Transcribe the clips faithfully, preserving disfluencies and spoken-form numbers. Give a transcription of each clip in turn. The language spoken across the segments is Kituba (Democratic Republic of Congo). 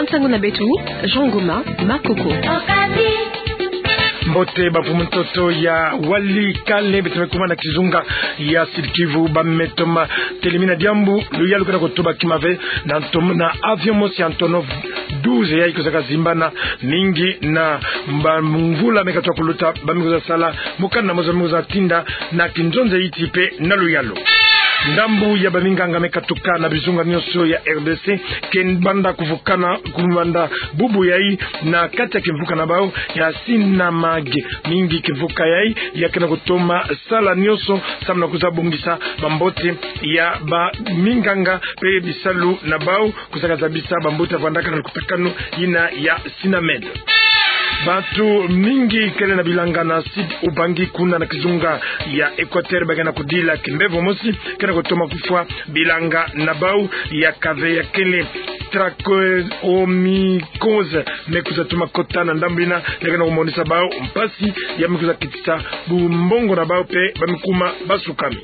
Nsangu na beto, Jean Ngoma Makoko. Mbote bamfumu ntoto ya Walikale, beto me kuma na kizunga ya Sud-Kivu, ba me toma telemina diambu luyalu kena kutuba kima ve na ntom-, na avion mosi Antonov douze yayi kusaka zimbana mingi na mba mvula me katoka kuluta, ba me kuza sala mokanda mosi ba me kuza tinda na kinzonzi ya insi pe na luyalu. Ndambu ya baminganga me katuka na bizunga nyonso ya R D C, ke banda kuvukana, kubanda bubu yayi na kati ya kimvuka na bau ya Sinamag. Mingi kimvuka yayi ya kena kutoma sala nyonso samu na kuza bongisa bambote ya baminganga pe bisalu na bau kusaka zabisa bambuta vandaka na lukutakanu yina ya Sinamed. Bantu mingi kele na bilanga na Sud Ubangi kuna na kizunga ya Equateur, ba kena kudila kimbevo mosi kena kutoma kufwa bilanga na bau ya kave ya kele trachomycose me kuza toma kota na ndambu yina, ya kena kumonisa bau mpasi ya me kuza kitisa bumbongo na bau pe ba me kuma basukami.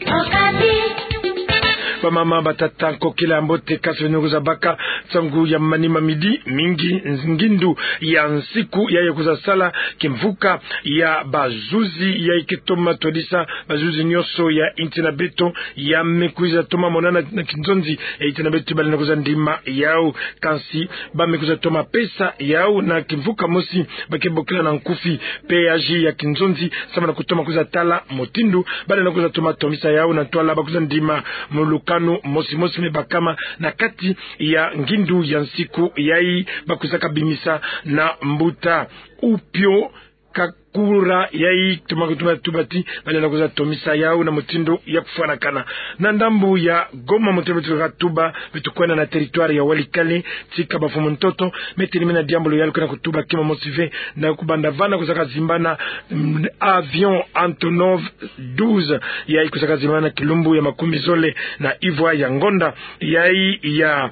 Bamama, batata, nkokila, mbote, kansi beno kuza baka nsangu ya manima midi, mingi ngindu ya nsiku yayi kuza sala kimvuka ya bazuzi yayi ke toma twadisa bazuzi nyonso ya insi na beto, ya me kuza toma monana na kinzonzi ya insi na beto, ba lenda kuza ndima yau. Kansi ba me kuza toma pesa yau na kimvuka mosi ba ke bokila na nkufi P A J ya kinzonzi samu na kutoma kuza tala mutindu ba lenda kuza toma tomisa yau na ntwala ba kuza ndima mu lukanu mosi mosi me bakama na kati ya ngindu ya nsiku yayi ba kuzaka bimisa na mbuta Upio Kakura yayi toma kutoma tuba ti ba lenda kuza tomisa yau na mutindu ya kufwanakana. Na ndambu ya Goma, mutindu beto katuba, beto kwenda na territoire ya Walikale, tika bamfumu ntoto me telemina diambu luyalu kena kutuba kima mosi ve na kubanda vana kusaka zimbana, mm, avion Antonov douze yayi kusaka zimbana kilumbu ya makumi zole na ivwa ya ngonda yayi ya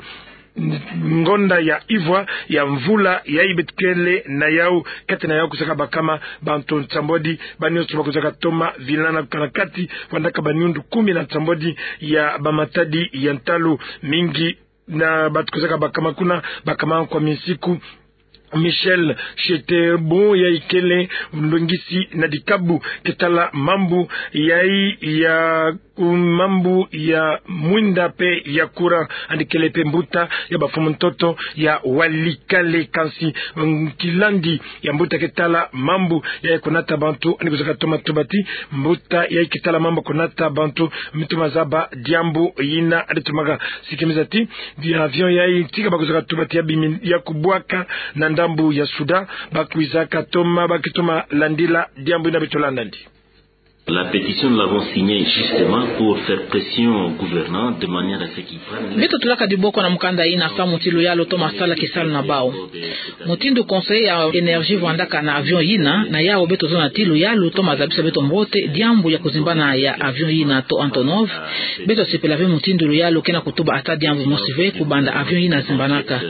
ngonda ya ivwa ya mvula yayi beto kele na yau. Kati na yau kusaka bakama bantu nsambwadi, ba nyonso ba kusaka toma vilana kana kati vandaka banyundu kumi na nsambwadi ya bamatadi ya ntalu. Mingi na bantu kusaka bakama kuna, bakama kwa minsiku Michel Chetebo yayi kele mulongisi na dikabu ke tala mambu yayi ya, mambu ya mwinda pe ya courant, yandi kele pe mbuta ya bamfumu ntoto ya Walikale. Kansi, mm, kilandi ya mbuta ke tala mambu yayi kunata bantu, yandi kuzaka toma tuba ti mbuta yayi ke tala mambu kunata bantu me toma zaba diambu yina, yandi tomaka sikimiza ti di avion yayi tika ba kuzaka tuba ti ya bimi ya kubwaka na ndambu ya Soudan, ba kwizaka toma, ba ke toma landila diambu yina. Beto landa yandi. La pétition, nous l'avons signée justement pour faire pression au gouvernement de manière à ce qu'il prenne. Beto tulaka diboko na mukanda yina samu ti luyalu toma sala kisalu na bau. Mutindu conseiller ya énergie vandaka na avion yina, na yau beto zona ti luyalu toma zabisa beto mbote diambu ya kuzimbana ya avion yina to Antonov. Beto sepela ve mutindu luyalu kena kutuba ata diambu mosi ve kubanda avion yina zimbanaka.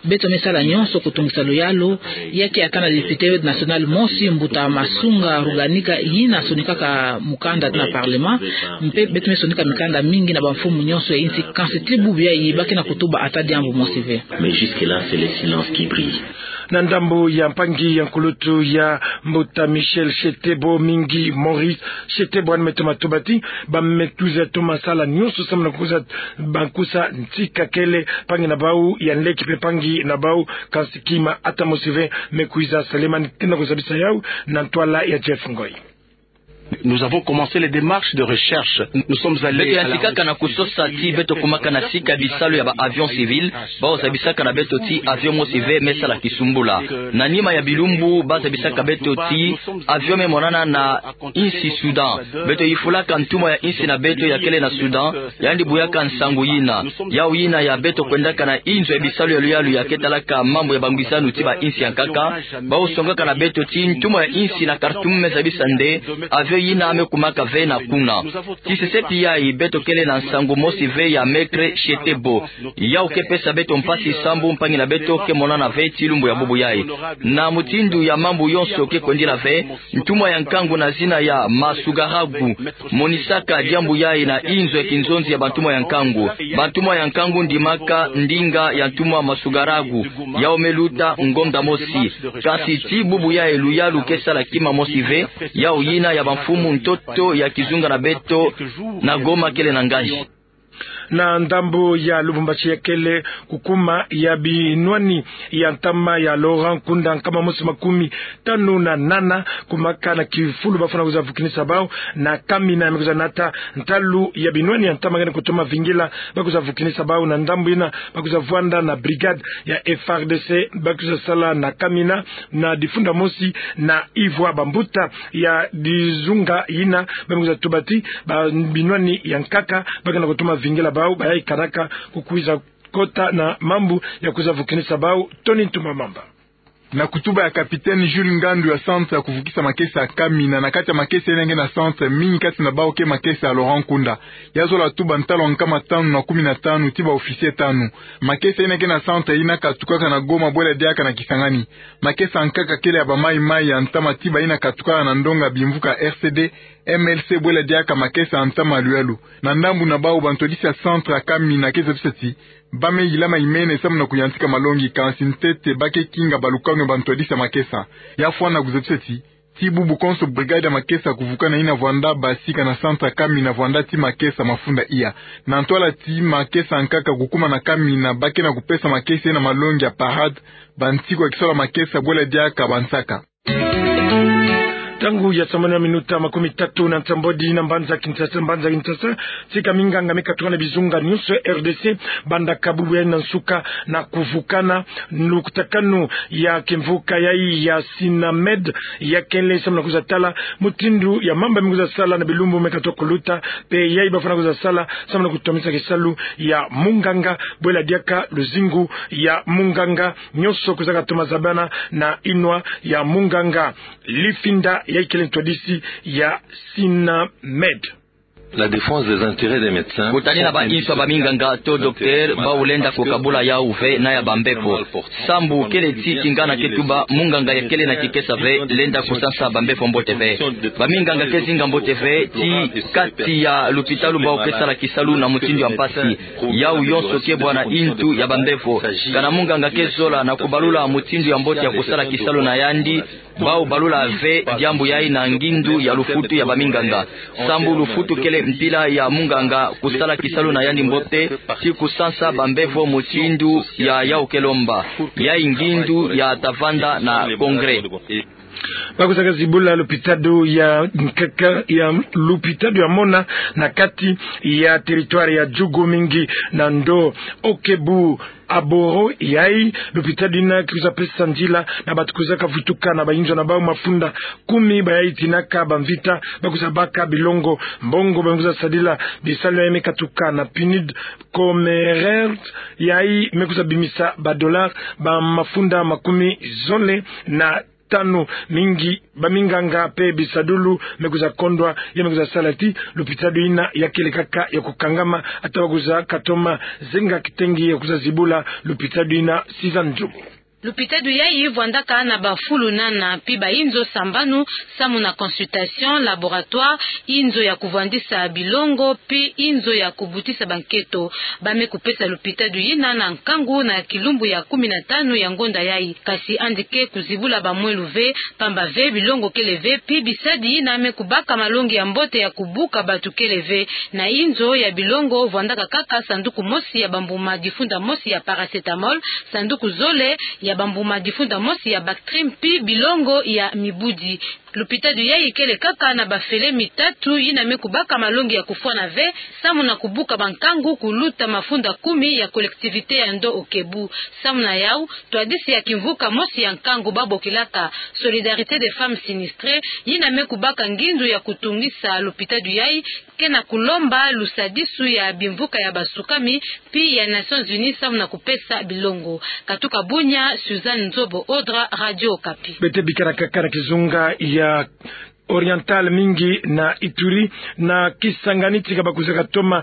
Beto me sala nyonso kutungisa luyalu, ya ke ata na député national mosi, mbuta Masunga Ruganika, yina sonikaka mukanda na parlement, mpe beto me sonika mikanda mingi na bamfumu nyonso ya insi, kansi ti bubu yayi ba kena kutuba ata diambu mosi ve. Mais jusque-là, c'est le silence qui brille. Na ndambu ya mpangi ya nkulutu ya mbuta Michel Chetebo, Mingi Maurice Chetebo, yandi me toma tuba ti ba me kwiza toma sala nyonso samu na kuza bankusa ntika kele mpangi na bau ya nleke mpe mpangi na bau, kansi kima ata mosi ve me kwiza salemani. Kena kuzabisa yau na ntwala ya Jeff Ngoy. Nous avons commencé les démarches de recherche. Nous sommes allés à la... Beto yantikaka na kusosa ti beto kumaka na sika bisalu ya ba avion civil, bau zabisaka na beto ti avion mosi ve me sala kisumbula. Na nima ya bilumbu, ba zabisaka beto ti avion me monana na insi Soudan. Beto yifulaka ntumwa ya insi na beto ya kele na Soudan, yandi buyaka nsangu yina. Yau yina ya beto kwendaka na inzo ya bisalu ya luyalu ya ke talaka mambu ya bangwisanu ti ba insi ya nkaka, bau songaka na beto ti ntumwa ya insi na Khartoum me zabisa nde avion yina yina me kumaka ve na kuna. Tisesepi yayi, beto kele na nsangu mosi ve ya maître Chetebo. Yawu ke pesa beto mpasi sambu mpangi na beto ke monana ve tii lumbu ya bubu yayi. Na mutindu ya mambu yonso ke kwendila ve, ntumwa ya nkangu na zina ya Masugaragu monisaka diambu yayi na inzo ya kinzonzi ya bantumwa ya nkangu. Bantumwa ya nkangu ndimaka ndinga ya ntumwa Masugaragu. Yawu me luta ngonda mosi. Kasi tii bubu yayi luyalu ke sala kima mosi ve, yawu yina ya bamfumu ntoto ya kizunga na beto na Goma kele na nganzi. Na ndambu ya Lubumbashi, ya kele kukuma ya binwani ya ntama ya Laurent Nkunda nkama mosi makumi tanu na nana, kumaka na kifulu bafwana kwiza vukinisa bawu na Kamina, me kwiza nata ntalu ya binwani ya ntama ngiena kutoma vingila ba kwiza vukinisa bawu. Na ndambu yina ba kwiza vwanda na brigade ya F R D C, ba kwiza sala na Kamina, na difunda mosi na Ivwa. Bambuta ya dizunga yina ba me kwiza tuba ti ba binwani ya nkaka ba ke na kutoma vingila bawu, ba yayi kanaka kukwiza kota na mambu ya kwiza vukinisa bawu. Tony Ntumamamba. Na kutuba ya capitaine Jules Ngandu ya centre ya kuvukisa makesa ya Kamina, na kati ya makesa yina nge na centre, mingi kati na bawu ke makesa ya Laurent Nkunda. Ya zola tuba ntalu nkama tanu na kumi na tanu ti ba officier tanu. Makesa yina nge na centre yina katukaka na Goma bwela diaka na Kisangani. Makesa nkaka kele ya ba mayi-mayi ya ntama ti bayina katukaka na ndonga bimvuka R C D, M L C bwela diaka makesa ya ntama luyalu. Na ndambu na bawu, bantwadisi ya centre ya Kamina ke zabisa ti ba me yilama imene samu na kuyantika malongi, kansi ntete ba ke kinga balukanu ya bantwadisi ya makesa. Ya fwana kuzabisa ti, ti bubu konso brigade ya makesa kuvukana yina vwanda basika na centre ya Kamina vwanda ti makesa mafunda iya. Na ntwala ti makesa nkaka kukuma na Kamina, ba ke na kupesa makesa yina malongi ya parade, bantiku ya kisola makesa bwela diaka bansaka. Ntangu ya sambanu ya minuta makumi tatu na nsambwadi na mbanza Kinshasa, mbanza Kinshasa, tika minganga me katuka na bizunga nyonso ya R D C, bandaka bubu yayi na nsuka na kuvukana lukutakanu ya kimvuka yayi ya Sinamed, ya kele samu na kwiza tala mutindu ya mamba me kwiza sala na bilumbu me katuka kuluta, mpe yayi bafwana kwiza sala samu na kutomisa kisalu ya munganga, bwela diaka luzingu ya munganga nyonso kwiza katoma zabana na inwa ya munganga. Lifinda yayi kele ntwadisi ya Sinamed. La défense des intérêts des médecins. Kutanina ba inso ya baminganga to docteur, bawu lenda kukabula yawu ve na ya bambevo. Sambu kele ti kingana ke tuba, munganga ya kele na kikesa ve lenda kusansa bambevo mbote ve. Baminganga ke zinga mbote ve ti kati ya lupitalu bawu ke sala kisalu na mutindu ya mpasi. Yawu yonso ke bwana intu ya bambevo. Kana munganga ke zola na kubalula mutindu ya mbote ya kusala kisalu na yandi, bawu balula ve diambu yayi na ngindu ya lufutu ya baminganga. Sambu lufutu kele mpila ya munganga kusala kisalu na yandi mbote, ti kusansa bambevo mutindu ya yawu ke lomba. Yayi ngindu ya tavanda na congrès. Ba kwiza kazibula lupitadu ya nkaka, ya lupitadu ya mona na kati ya territoire ya Djugu mingi na ndo Okebu Aboro. Yayi lupitadu yina ke kwiza pesa nzila na bantu kwiza kavutuka na bayinzo na bawu mafunda kumi, ba yayi tinaka bamvita ba kwiza baka bilongo mbongo ba me kwiza sadila bisalu yayi me katuka na PNUD. Comerford yayi me kwiza bimisa ba dollars ba mafunda makumi zole na tanu. Mingi baminganga mpe bisadulu me kwiza kondwa, ya me kwiza sala ti lupitadu yina ya kele kaka ya kukangama, ata ba kwiza katoma zenga kitengi ya kwiza zibula lupitadu yina. Sizani Nzubu. Lupitadu yayi vwandaka na bafulu nana mpi bayinzo sambanu, samu na consultation, laboratoire, inzo ya kuvwandisa bilongo, mpi inzo ya kubutisa banketo. Ba me kupesa lupitadu yina na nkangu na kilumbu ya kumi na tanu ya ngonda yayi. Kasi yandi ke kuzibula bamwelu ve, pamba ve bilongo kele ve, mpi bisadi yina me kubaka malongi ya mbote ya kubuka bantu kele ve. Na inzo ya bilongo vwandaka kaka sanduku mosi ya bambuma difunda mosi ya paracétamol, sanduku zole ya bambuma difunda mosi ya Bactrim, mpi bilongo ya mibudi. Lupitadu yayi kele kaka na bafele mitatu yina me kubaka malongi ya kufwana ve, samu na kubuka bankangu kuluta mafunda kumi ya collectivité ya ndo Okebu. Samu na yawu, ntwadisi ya kimvuka mosi ya nkangu ba bokilaka Solidarité des Femmes Sinistrées, yina me kubaka ngindu ya kutungisa lupitadu yayi, ke na kulomba lusadisu ya bimvuka ya basukami, mpi ya Nations Unies samu na kupesa bilongo. Katuka Bunia, Suzanne Nzobo Odra, Radio Okapi. Beto bikana kaka na kizunga ya Orientale mingi na Ituri na Kisangani tika ba kwizaka toma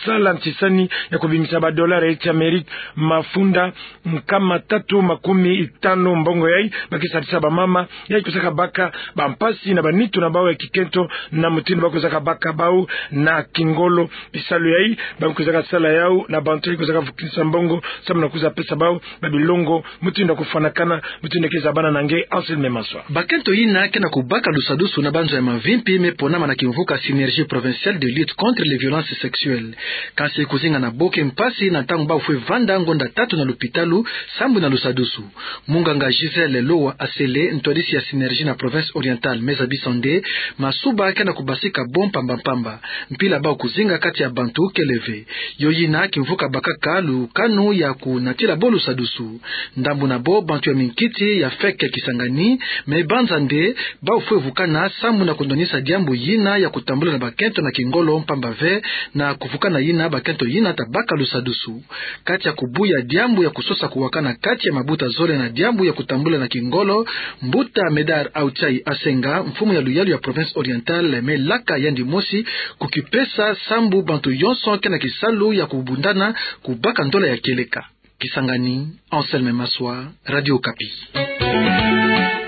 sala ntisani ya kubingisa ba dollars ya Amerika mafunda nkama tatu makumi tanu mbongo yai, ba ke sadisa ba mama yai kwizaka baka ba mpasi na ba nitu na bau ya kikento na mutindu ba kwizaka baka bau na kingolo. Bisalu yai ba kwizaka sala yau na bantu yai kwizaka vukisa mbongo samu na kwiza pesa bau ba bilongo mutindu ya kufwanakana, mutindu ya ke zabana na nge Anselme Maswa. Bakento yina ke na kubaka lusadusu na banzo ya mavimpi me ponama na kimvuka Synergie provinciale de lutte contre les violences sexuelles. Kansi kuzinga na bo ke mpasi na ntangu bau fwe vanda ngonda tatu na lupitalu sambwi na lusadusu. Munganga Gisèle Lowa Asele, ntwadisi ya Synergie na province orientale, me zabisa nde masuba ke na kubasika bo mpamba mpamba. Mpila bau kuzinga kati ya bantu kele ve. Yo yina kimvuka bakaka lukanu ya kunatila bo lusadusu. Ndambu na bo bantu ya minkiti ya feke Kisangani, me banza nde bau fwe vukana samu na kundwanisa diambu yina ya kutambula na bakento na kingolo mpamba ve na kuvukana yina bakento yina ta baka lusadusu. Kati ya kubuya diambu ya kusosa kuwakana kati ya mabuta zole na diambu ya kutambula na kingolo, mbuta Médard Autchai Asenga, mfumu ya luyalu ya province orientale, me laka yandi mosi kukipesa sambu bantu yonso ke na kisalu ya kubundana kubaka ndola ya kieleka. Kisangani, Anselme Maswa, Radio Okapi.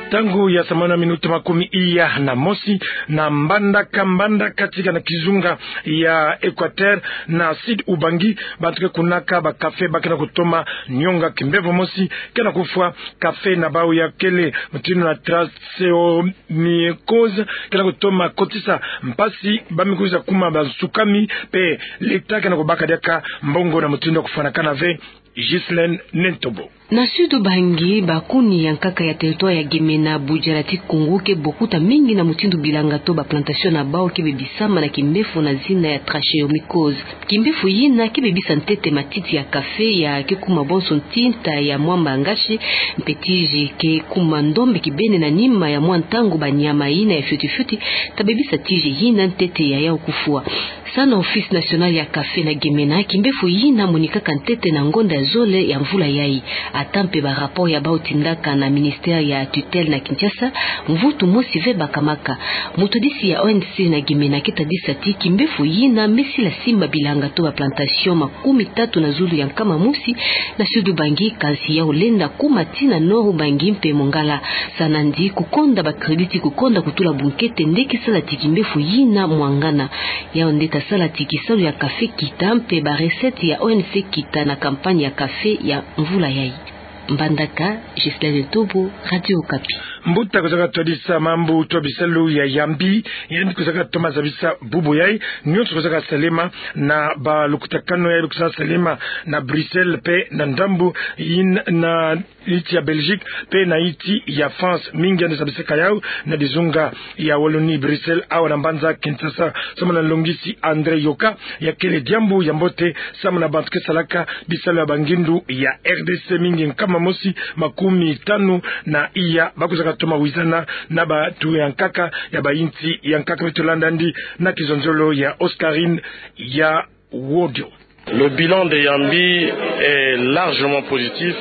Ntangu ya saa moja na minuti makumi iya na mosi, na Mbandaka, Mbandaka tika na kizunga ya Equateur na Sud Ubangi, bantu ke kunaka ba café ba ke na kutoma nionga kimbevo mosi ke na kufwa café na bau ya kele mutindu na trachéomycose, ke na kutoma kotisa mpasi ba me kwiza kuma ba nsukami, mpe l'État ke na kubaka diaka mbongo na mutindu ya kufwanakana ve. Ghislaine Nentobo. Na Sud Ubangi, bakuni ya nkaka ya territoire ya Gemena, Budjala ti Koungou, ke bokuta mingi na mutindu bilanga to ba plantation na bau ke bebisama na kimbevo na zina ya trachéomycose. Kimbevo yina ke bebisa ntete matiti ya café ya ke kuma bonso ntinta ya mwamba ngashi, mpe tiji ke kuma ndombe kibeni na nima ya mwa ntangu ba nyama yina ya fioti fioti ta bebisa tiji yina ntete ya yau kufwa. Samu na Office National ya Café na Gemena, kimbevo yina monikaka ntete na ngonda ya zole ya mvula yai. Ata mpe ba rapport ya bau tindaka na ministère ya tutelle na Kinshasa, mvutu mosi ve bakamaka. Mutwadisi ya O N C na Gemena ke tadisa ti kimbevo yina me sila simba bilanga to ba plantation makumi tatu na zulu ya nkama mosi na Sud Ubangi, kansi yau lenda kuma tii na Nord Ubangi mpe Mongala. Samu na ndi kukonda ba crédit, kukonda kutula bunkete nde ke sala ti kimbevo yina mwangana. Yau nde ta sala ti kisalu ya café kita mpe ba recette ya O N C kita na campagne ya café ya mvula yai. Mbandaka, Ghislaine Tobo, Radio Okapi. Mbuta kwizaka twadisa mambu to bisalu ya Yambi, yandi kwizaka toma zabisa bubu yai, nionso kwizaka salema na ba lukutakanu yai kwizaka salema na Bruxelles mpe na ndambu yina na insi ya Belgique mpe na insi ya France. Mingi yandi zabisaka yau na dizunga ya Wallonie, Bruxelles awa na mbanza Kinshasa. Samu na nlongisi André Yoka, ya kele diambu ya mbote samu na bantu ke salaka bisalu ya bangindu ya R D C mingi, nkama mosi makumi tanu na iya ba kwizaka toma wizana na bantu ya nkaka ya ba insi ya nkaka. Beto landa yandi na kizonzolo ya Oscarine ya Wodio. Le bilan de Yambi est largement positif.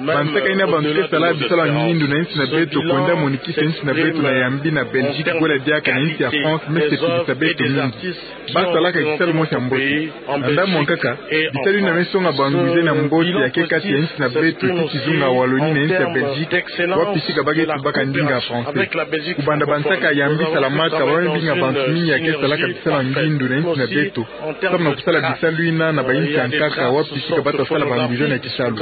Bansaka yina bantu ke sala bisalu ya ngindu na insi na beto, kwenda monikisa insi na beto na Yambi na Belgique, kwela diaka na insi ya France, me sepelisa beto mingi. Ba salaka kisalu mosi ya mbote. Na ndambu ya nkaka, bisalu yina me songa banguiza na mbote ya ke kati ya insi na beto ti kizunga Wallonie na insi ya Belgique, wapi sika ba ke tubaka ndinga ya français. Kubanda bansaka ya Yambi salamaka, ba me binga bantu mingi ya ke salaka bisalu ya ngindu na insi na beto samu na kusala bisalu yina na ba insi ya nkaka, wapi sika ba ta sala banguiza na kisalu.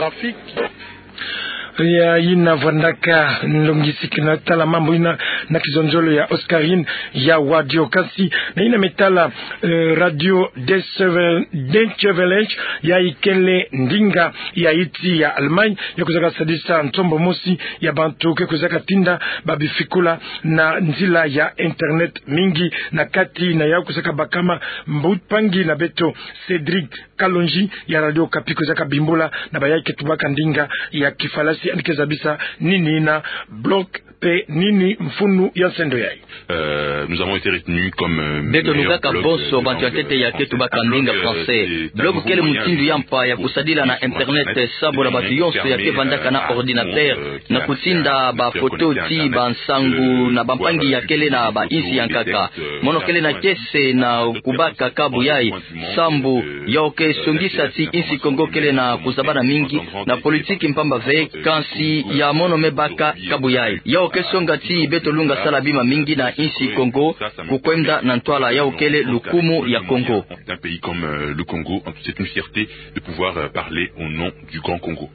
Ya yina vwandaka nlongisi kina tala mambu yina na kizonzolo ya Oscarine ya Wodio. Kansi na yina me tala, eh, Radio Deutsche Welle, Deutsche Welle, ya ikele ndinga ya insi ya Allemagne, ya kwizaka sadisa nsombo mosi ya bantu ke kwizaka tinda ba bifikula na nzila ya internet. Mingi na kati na yau kwizaka bakama, mbu- mpangi na beto Cédric Kalonji ya Radio Okapi kwizaka bimbula na ba yai ke tubaka ndinga ya Kifalanse. Yandi ke zabisa nini ina bloc pe nini mfunu ya nsendo yayi. Euh, nous avons été retenus comme, euh, beto lukaka bonso bantu ya ntete ya ke tubaka mbinga français. Bloc kele mutindu ya mpa ya kusadila na internet sambu na bantu yonso ya ke vandaka na ordinateur na kutinda bafoto ti bansangu na bampangi ya kele na bainsi ya nkaka. Mono kele na kiese na kubaka kabu yayi sambu yau ke songisa ti insi Kongo kele na kuzabana mingi na politiki mpamba ve, kansi ya mono me baka kabu yayi. Yau ke songa ti beto lunga sala bima mingi na insi Kongo, kukwenda na ntwala yau kele lukumu ya Kongo. D'un pays comme, euh, le Congo, c'est une fierté de pouvoir, euh, parler au nom du Grand Congo.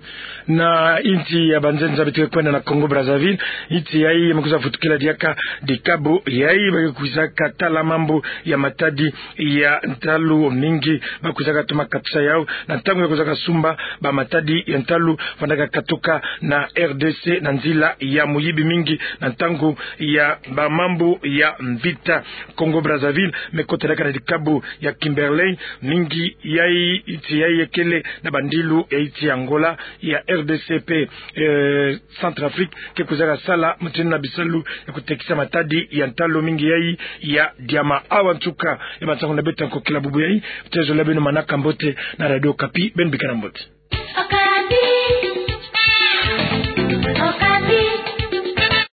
Na insi ya banzenza beto ke kwenda na Congo Brazzaville, insi yayi me kwiza futukila diaka dikabu yayi ba ke kwizaka tala mambu ya matadi ya ntalu mingi ba kwizaka toma katisa yau na ntangu ya kwizaka sumba bamatadi ya ntalu vandaka katuka na R D C na nzila ya muyibi mingi na ntangu ya bamambu ya mvita. Congo Brazzaville me kota diaka na dikabu ya Kimberley mingi yayi, insi yayi kele na bandilu ya insi ya Angola, ya R D C pe, euh, Centrafrique ke kwizaka sala mutindu na bisalu ya kutekisa matadi ya ntalu mingi yayi ya diamant. Awa nsuka ya bansangu na beto ya nkokila bubu yayi. Tezo la beno manaka mbote na Radio Okapi, beno bikana mbote.